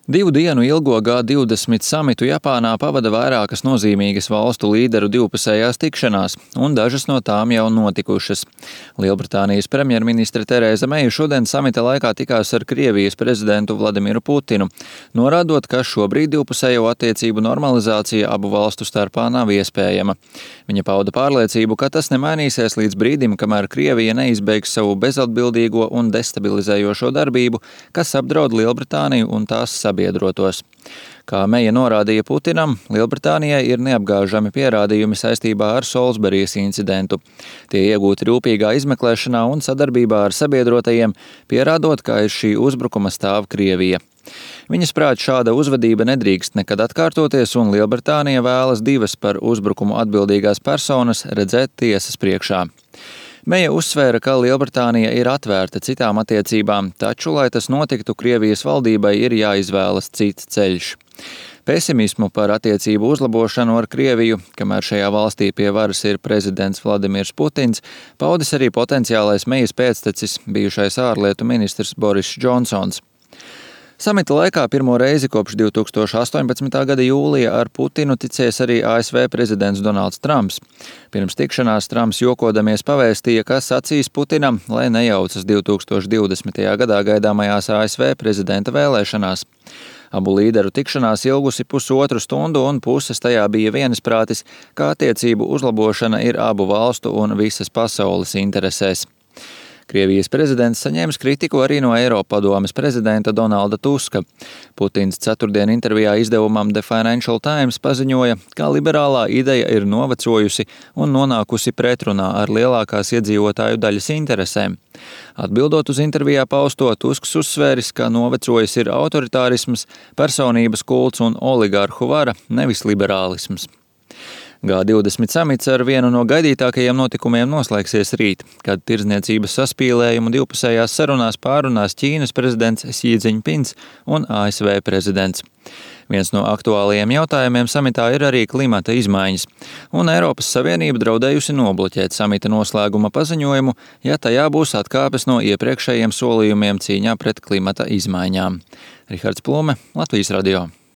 2 dienu ilgo G20 samitu Japānā pavada vairākas nozīmīgas valstu līderu divpusējās tikšanās, un dažas no tām jau notikušas. Lielbritānijas premjerministre Terēza Meija šodien samita laikā tikās ar Krievijas prezidentu Vladimiru Putinu, norādot, ka šobrīd divpusējo attiecību normalizācija abu valstu starpā nav iespējama. Viņa pauda pārliecību, ka tas nemainīsies līdz brīdim, kamēr Krievija neizbeigs savu bezatbildīgo un destabilizējošo darbību, kas apdraud Lielbritāniju un tās sabiedrotos. Kā Meija norādīja Putinam, Lielbritānijai ir neapgāžami pierādījumi saistībā ar Salisburijas incidentu. Tie iegūti rūpīgā izmeklēšanā un sadarbībā ar sabiedrotajiem, pierādot, ka aiz šī uzbrukuma stāv Krievija. Viņas prāt šāda uzvedība nedrīkst nekad atkārtoties, un Lielbritānija vēlas divas par uzbrukumu atbildīgās personas redzēt tiesas priekšā. Meija uzsvēra, ka Lielbritānija ir atvērta citām attiecībām, taču, lai tas notiktu, Krievijas valdībai ir jāizvēlas cits ceļš. Pesimismu par attiecību uzlabošanu ar Krieviju, kamēr šajā valstī pie varas ir prezidents Vladimirs Putins, paudis arī potenciālais Meijas pēctecis, bijušais ārlietu ministrs Boris Džonsons. Samita laikā pirmo reizi kopš 2018. gada jūlija ar Putinu ticies arī ASV prezidents Donalds Trumps. Pirms tikšanās Trumps jokodamies pavēstīja, ka sacīs Putinam, lai nejaucas 2020. gadā gaidāmajās ASV prezidenta vēlēšanās. Abu līderu tikšanās ilgusi 1,5 stundu, un puses tajā bija vienisprātis, ka attiecību uzlabošana ir abu valstu un visas pasaules interesēs. Krievijas prezidents saņēmis kritiku arī no Eiropadomes prezidenta Donalda Tuska. Putins ceturtdien intervijā izdevumam The Financial Times paziņoja, ka liberālā ideja ir novecojusi un nonākusi pretrunā ar lielākās iedzīvotāju daļas interesēm. Atbildot uz intervijā pausto, Tusks uzsvēris, ka novecojis ir autoritārisms, personības kults un oligarhu vara, nevis liberālisms. G20 samits ar vienu no gaidītākajiem notikumiem noslēgsies rīt, kad tirdzniecības saspīlējumu divpusējās sarunās pārunās Ķīnas prezidents Xi Jinpings un ASV prezidents. Viens no aktuālajiem jautājumiem samitā ir arī klimata izmaiņas, un Eiropas Savienība draudējusi nobloķēt samita noslēguma paziņojumu, ja tajā būs atkāpes no iepriekšējiem solījumiem cīņā pret klimata izmaiņām. Rihards Plume, Latvijas radio.